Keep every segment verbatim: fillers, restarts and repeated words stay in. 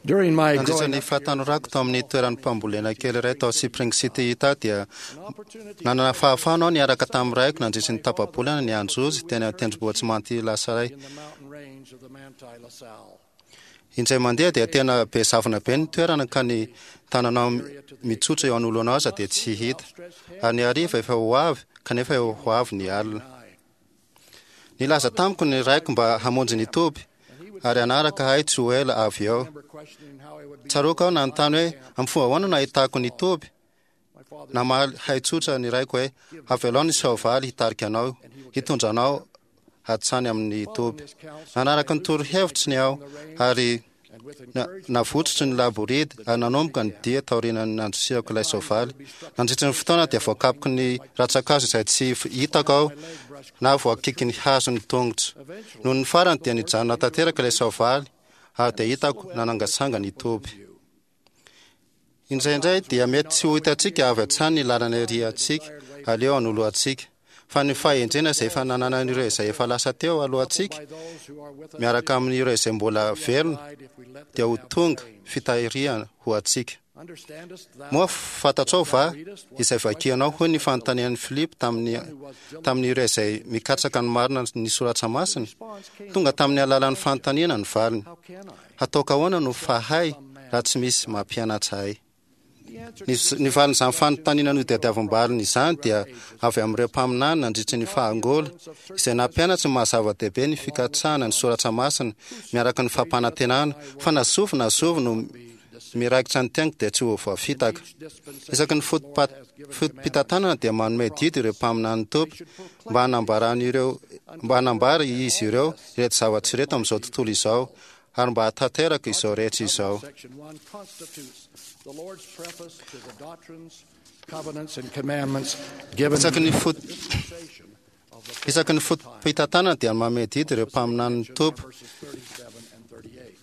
During my Nandritra growing ny up fahatanorako tao amin'ny toeran'ny mpambolena kely iray tao Spring City Utah dia an opportunity nanana fahafahana aho niaraka tamin'ny raiko nandritra ny tapa-bolana ny anjozy teny an-tendrombohitra Manti Lasaray. in the mountain range of the Manti La Sal. Indray mandeha dia tena be zavona be ny toerana ka ny tananao mitsotra eo anoloanao aza dia tsy hita. Ary ny hariva efa ho avy kanefa eo ho avy ny alina. Nilaza tamiko ny raiko mba hamonjy ny toby ary hanaraka ahy tsy ho ela avy eo. Remember questioning how I would be Tsaroako aho nanontany hoe amin'ny fomba ahoana no ahitako ny toby? my father Namaly haitsotra ny raiko hoe avelao ny soavaly hitarika anao, hitondra anao hatsany amin'ny toby. Nanaraka ny torohevitry ny aho ary and with na- encouragement navotsotry ny laboridy ary nanomboka ny dia taorian'ny nandrosihako ilay soavaly. Nandritra ny fotoana dia voakapoky ny rantsan-kazo izay tsy f- hitako aho na voakiky ny hazo ny tongotro. Noho ny farany dia nijanona tanteraka ilay soavaly ary dia hitako nanangasanga ny toby. Indraindray dia mety tsy ho hitantsika avy hatrany ny lalana iriantsika aleo anoloantsika, fa ny fahendrena izay efa nananan'ireo izay efa lasa teo alohantsika by those who are with us miaraka amin'ireo izay mbola velona if we let dia them ho have tonga the reins. fitahiriana ho antsika. Understandest thou Moa fantatrao va izay vakianao hoy ny fanontanian'i Filipo tamin'ny tamin'ireo izay mikatsaka ny marina ny soratra masina? Tonga tamin'ny alalan'ny fanontaniana ny valiny. how can I? Hataoko ahoana no fahay raha tsy misy mampianatra ahy? The answer Ny, ny valin'izany fanontaniana notadiavam-baliny izany dia avy amin'ireo mpaminany nandritra ny fahangola izay nampianatra ny maha-zava-dehibe ny fikatsahana ny soratra masina miaraka ny fampanantenana fa na zovy na zovy no miraikitra ny teniko dia tsy ho voafitaka. Isaky ny fotopa- foto-pitantanana dia manome didy ireo mpaminany Tompo mba hanambaran'ireo mba hanambara izy ireo ireto zavatra ireto amin'izao tontolo izao ary mba hahatanteraka izao rehetra izao. Section one constitutes the Lord's preface to the doctrines, covenants, and commandments given Isaky ny in the fot- dispensation of the Isaky ny foto-pitantanana dia manome didy ireo mpaminany Tompo. verses thirty-seven and thirty-eight.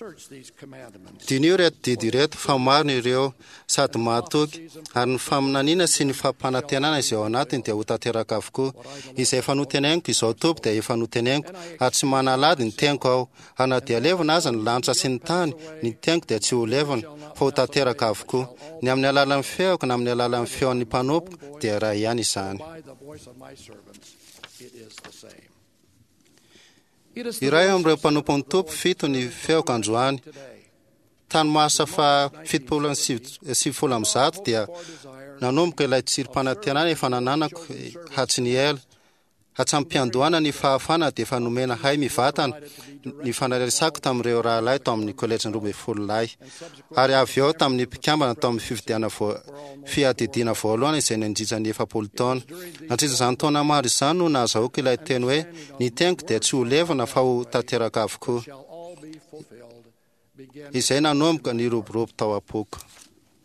Search these commandments. Diniho ireto didy ireto fa marina ireo sady mahatoky ary ny faminaniana sy ny fampanantenana izay ao anatiny dia ho tanteraka avokoa. Izay efa noteneniko izao Tompo dia efa noteneniko ary tsy manalady ny teniko aho. Ary na dia levona aza ny lanitra sy ny tany, ny teniko dia tsy ho levona fa ho tanteraka avokoa. Ny amin'ny alalan'ny feoko na amin'ny alalan'ny feon'ny mpanompoko dia iray ihany izany. By the voice of my servants, it is the same. It is the Iray voice amin'ireo of mpanompon'ny Tompo fito ny feoko androany. today. Tany marsa fa fitopolo sy sivifolo amby zato dia nanomboka ilay tsirim-panantenana efa nananako hatry ny ela. Hatramin'ny-piandohana ny fahafana dia efa nomena hay mivantana ny fanaresako tamin'ireo rahalahy tao amin'ny kolejin'ny roa ambin'ny folo lahy. Ary avy eo tamin'ny mpikambana tao amin'ny fifidiana voa- fiadidiana voalohany izay nandritra ny efapolo taona. Nandritra izany taona maro izany no nahazahoako ilay teny hoe ny teniko dia tsy ho levona fa ho tanteraka avokoa. Shall all be fulfilled. Begin Izay nanomboka ny roborobo tao am-poko.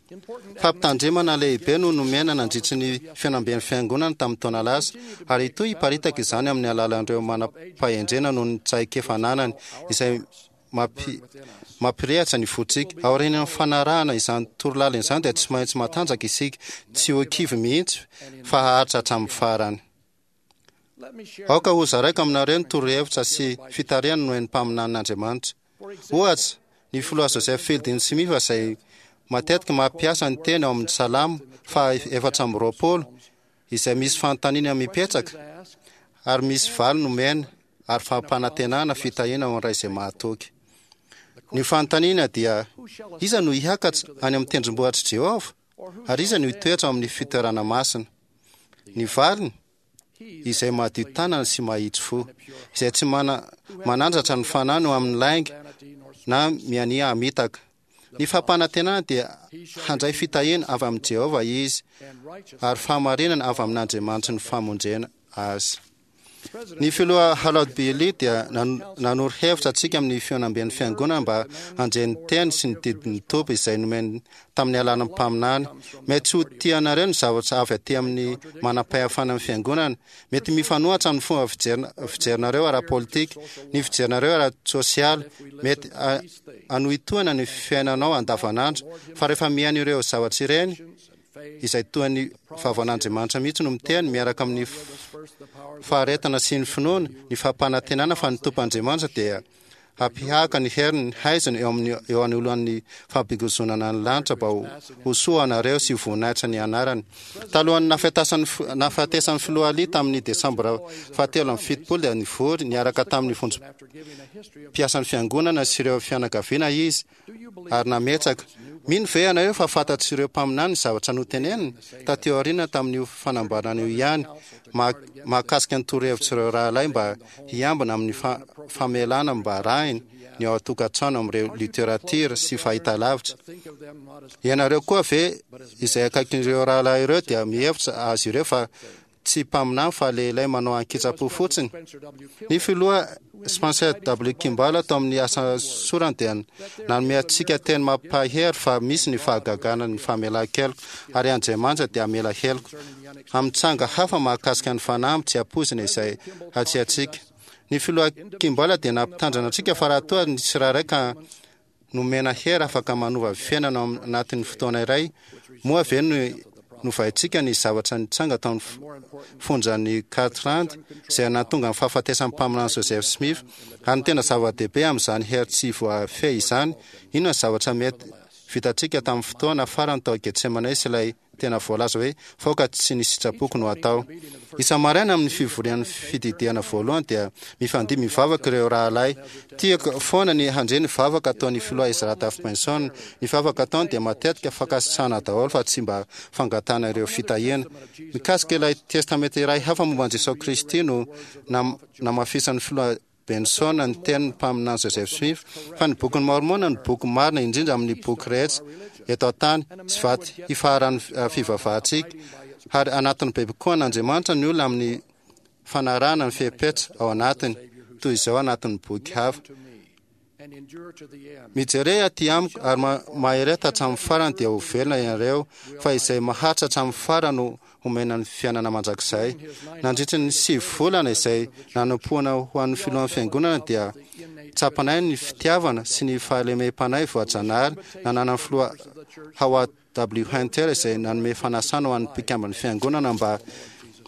important Fampitandremana lehibe no nomena nandritry ny fihaonamben'ny fiangonana tamin'ny taona lasa ary hitohy hiparitaka izany amin'ny alalan'ireo manam-pahendrena noho ny traikefa ananany izay mampi- mampirehatra ny fontsika. Aorian'ny fanarahana izany torolalana izany dia tsy maintsy matanjaka isika, tsy ho kivy mihitsy fa haharitra hatramin'ny farany. Let me share Aoka ho zaraiko aminareo ny torohevitra sy fitarihana nomen'ny mpaminanin'Andriamanitra. Ohatra, ny filoha Joseph Fielding Smith izay matetika mampiasa ny teny ao amin'ny Salamo faha efatra amby roapolo izay misy fanontaniana mipetraka ary misy valy nomena ary fampanantenana fitahiana ho an'ny ray izay mahatoky. Ny fanontaniana dia iza no hiakatra any amin'ny tendrombohitr'i Jehovah ary iza no hitoetra ao amin'ny fitoerana masina? Ny valiny izay madio tanana sy mahitsy fo, izay tsy mana, manandratra ny fanahiny ho amin'ny lainga na miania hamitaka. Ny fampanantenana dia handray fitahiana avy amin'i Jehovah izy ary fahamarinana avy amin'Andriamanitry ny famonjena azy. Ny filoha Harold B. Lee dia nan- nanoro hevitra antsika amin'ny fihaonamben'ny fiangonana mba handre ny teny sy ny didin'ny Tompo izay nomeny tamin'ny alalan'ny mpaminany. Mety tsy ho tianareo ny zavatra avy aty amin'ny manam-pahefana amin'ny fiangonana. Mety mifanohitra amin'ny fomba fijerina- fijerinareo ara-politika, ny fijerinareo ara-tsosialy, mety a- hanohitohina ny fiainanao andavanandro. Fa rehefa mihaino ireo zavatra ireny, izay toa ny vavan'Andriamanitra mihitsy no miteny miaraka amin'ny f- faharetana sy ny finoana, ny fampanantenana fa ny Tompo Andriamanitra dia hampihaka ny heriny haizina eo amin'ny eo anoloan'ny fampigozonana ny lanitra mba ho soa anareo sy voninahitra ny anarany. Talohan'ny nahafatesan'ny nahafatesan'ny filoha Ali tamin'ny desambra fahatelo amby fitopolo dia nivory niaraka tamin'ny vondrom-piasan'ny fiangonana sy ireo fianakaviana izy ary nametraka: "Mino ve ianareo fa fantatr'ireo mpaminany ny zavatra noteneniny taty aoriana tamin'io fanambarana io ihany mahakasika ny torohevitr'ireo rahalahy mba hiambina amin'ny famelana mba arahiny ny ao an-tokantrano amin'ireo literatiora sy fahitalavitra? Ianareo koa ve izay akaikin'ireo rahalahy ireo dia mihevitra azy ireo fa tsy mpaminany fa lehilahy manao ankitsa-po fotsiny?" Ny filoha Spencer W. Kimball tao amin'ny asa sorany dia nanome antsika teny mampahery fa misy ny fahagagana ny famelan-keloka ary Andriamanitra dia hamela heloka amin'ny tranga hafa mahakasika ny fanamby tsy ampoizina izay hatrehantsika. Ny filoha Kimball dia nampitandrina antsika fa raha toa ny tsirairay ka nomena hery afaka manova fiainana ao anatin'ny fotoana iray, moa ve no novaintsika ny zavatra nitranga tao amin'ny fonjan'ny Kirtland izay nahatonga ny fahafatesan'ny mpaminany Joseph Smith? Ary ny tena zava-dehibe amin'izany hery tsy voafehy izany, inona ny zavatra mety vitantsika tamin'ny fotoana farany tao Getsemane sy ilay tena voalaza hoe fa aoka tsy ny sitrapoko no atao? Isa-maraina amin'ny fivorian'ny fididiana voalohany dia mifandimby mivavaka ireo rahalahy. Tiako foana ny handre ny vavaka ataon'ny filoha Ezra Taft Benson. Ny vavaka ataony dia matetika fankasitrahana daholo fa tsy mba fangatahana ireo fitahiana. Mikasika ilay testamenta iray hafa momba an'i Jesosy Kristy no namafisan'ny filoha Benson ny tenin'ny mpaminany Joseph Smith fa ny Bokin'i Môrmôna no boky marina indrindra amin'ny boky rehetra eto an-tany sy vato hifaharan'ny fivavahantsika, ary anatin'ny bebe kokoa an'Andriamanitra ny olona amin'ny fanarahana ny fepetra ao anatiny, toy izao anatin'ny boky hafa. Mijere aty amiko ary mahereta hatramin'ny farany dia ho velona ianareo, fa izay maharitra hatramin'ny farany no homena ny fiainana mandrakizay. Nandritry ny sivy volana izay nanompoana ho an'ny filohan'ny fiangonana dia tsapanay ny fitiavana sy ny fahalemem-panahy voajanahary nananan'ny filoha Howard W. Hunter izay nanome fanasana ho an'ny mpikamban'ny fiangonana mba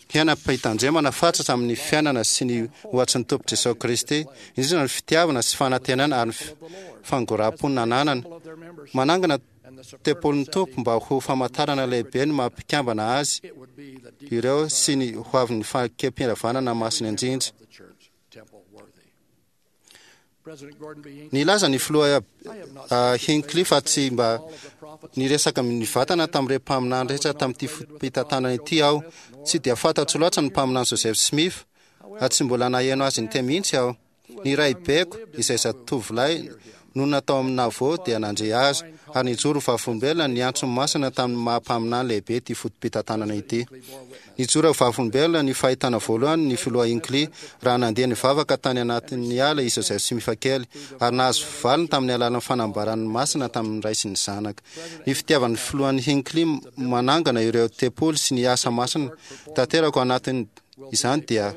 hiaina am-pitandremana fatratra amin'ny fiainana sy ny ohatry ny Tompo Jesosy Kristy, indrindra ny fitiavana sy fanantenana ary ny fangoraham-po nananany. Manangana tempolin'ny Tompo mba ho famantarana lehibe ny maha mpikambana azy ireo sy ny hoavin'ny fanekem-piravanana masina indrindra. Nilaza ny filoha Hinckley fa tsy mba niresaka nivantana tamin'ireo mpaminany rehetra tamin'ity foto-pitantanana ity aho. Tsy dia fantatro loatra ny mpaminany Joseph Smith, ary tsy mbola naheno azy niteny mihitsy aho. Ny raibeko, izay zatovolahy nonina tao amin'ny Nauvoo, dia nandre azy, ary nijoro ho vavolombelona ny antsony masina tamin'ny maha-mpaminany lehibe ity foto-pitantanana ity. Nijoro ho vavolombelona ny fahitana voalohany ny filoha Hinckley raha nandeha nivavaka tany anatin'ny ala i Joseph Smith kely, ary nahazo valiny tamin'ny alalan'ny fanambarany masina tamin'ny Ray sy ny Zanaka. Ny fitiavan'ny filohan'i Hinckley manangana ireo tempoly sy ny asa masina tanteraka ao anatin' izany dia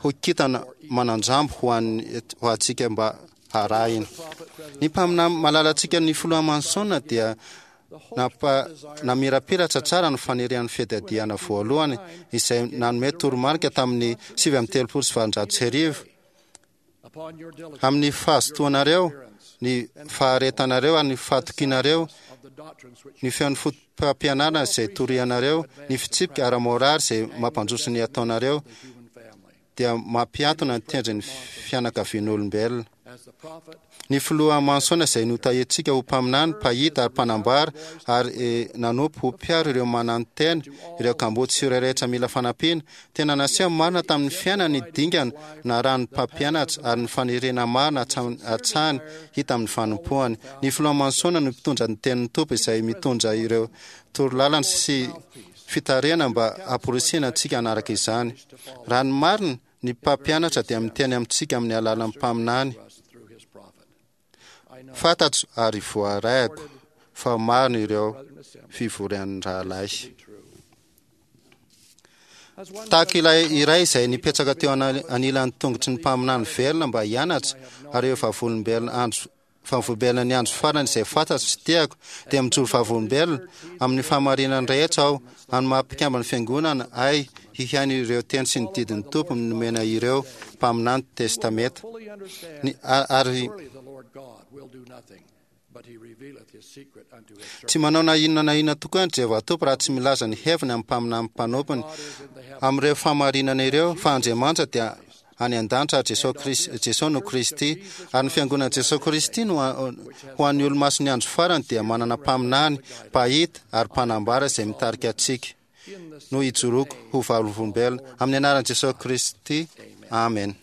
ho kintana manan-drambo ho an'ny ho antsika mba harahina. Ny mpaminany malalantsika ny filoha Manson dia nampa namirapiratra tsara ny fanirian'ny fiadiadiana voalohany izay nanome toromarika tamin'ny sivy amby telopolo sy valonjato sy arivo amin'ny fahazotoanareo, ny faharetanareo ary ny fahatokianareo, ny feon'ny fotopampianarana izay torianareo, ny fitsipika ara-moraly izay mampandroso ny ataonareo, dia mampiantona ny tendrin'ny fianakavian'olombelona. Ny filoha Manson izay notahiantsika ho mpaminany, mpahita ary mpanambara ary nanompo ho mpiaro ireo mananotena, ireo kamboty sy ireo rehetra mila fanampiana, tena naseho marina tamin'ny fiainany ny dingana narahan'ny mpampianatra ary ny faniriana marina hatrany hita amin'ny fanompoany. Ny filoha Manson no mpitondra ny tenin'ny Tompo izay mitondra ireo torolalana sy fitarihana mba hamporisihina antsika hanaraka izany. Raha ny marina, ny mpampianatra dia miteny amintsika amin'ny alalan'ny mpaminany. Fantatro ary voarahiko fa marina ireo fivorian'ny rahalahy. Tahaka ilay iray izay nipetraka teo anilan'ny tongotry ny mpaminany velona mba hianatra, ary ireo vavolombelona andro Vavolombelona ny andro farany izay fantatro sy tiako, dia mijoro vavolombelona amin'ny fahamarinany rehetra aho, amin'ny maha mpikamban'ny Fiangonana ahy hihaino ireo teny sy ny didin'ny Tompo nomena ireo mpaminany Testamenta. Fully understand, Ny- a- ary surely the Lord God will do nothing, but he revealeth his secret unto his tsy servants. manao na inona na inona tokoa ny Jehovah Tompo raha tsy milaza ny heviny amin'ny mpaminany mpanompony God is in the heavens. amin'ireo fahamarinana ireo, fa Andriamanitra dia any an-danitra ary Jesosy Kristy, Jesosy no Kristy, ary ny fiangonan'i Jesosy Kristy no a- ho an'ny olomasin'ny andro farany dia manana mpaminany, mpahita ary mpanambara izay mitarika antsika In the no hijoroako ho vavolombelona amin'ny anaran'i Jesosy Kristy. Amen.